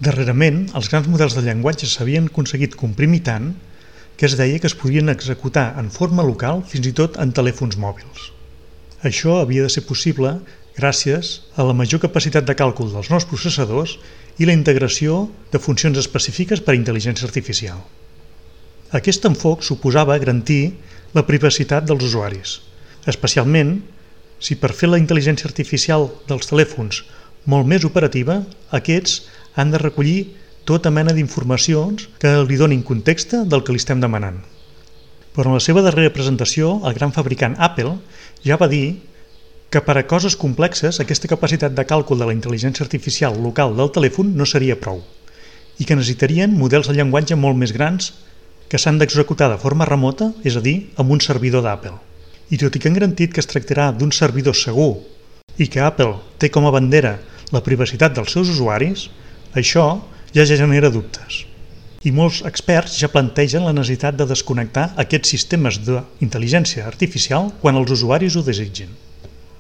Darrerament, els grans models de llenguatge s'havien aconseguit comprimir tant que es deia que es podien executar en forma local fins i tot en telèfons mòbils. Això havia de ser possible gràcies a la major capacitat de càlcul dels nous processadors i la integració de funcions específiques per a intel·ligència artificial. Aquest enfoc suposava garantir la privacitat dels usuaris, especialment si per fer la intel·ligència artificial dels telèfons molt més operativa, aquests han de recollir tota mena d'informacions que li donin context del que li estem demanant. Però en la seva darrera presentació, el gran fabricant Apple ja va dir que per a coses complexes aquesta capacitat de càlcul de la intel·ligència artificial local del telèfon no seria prou i que necessitarien models de llenguatge molt més grans que s'han d'executar de forma remota, és a dir, amb un servidor d'Apple. I tot i que han garantit que es tractarà d'un servidor segur i que Apple té com a bandera la privacitat dels seus usuaris, això ja genera dubtes. I molts experts ja plantegen la necessitat de desconnectar aquests sistemes d'intel·ligència artificial quan els usuaris ho desitgin.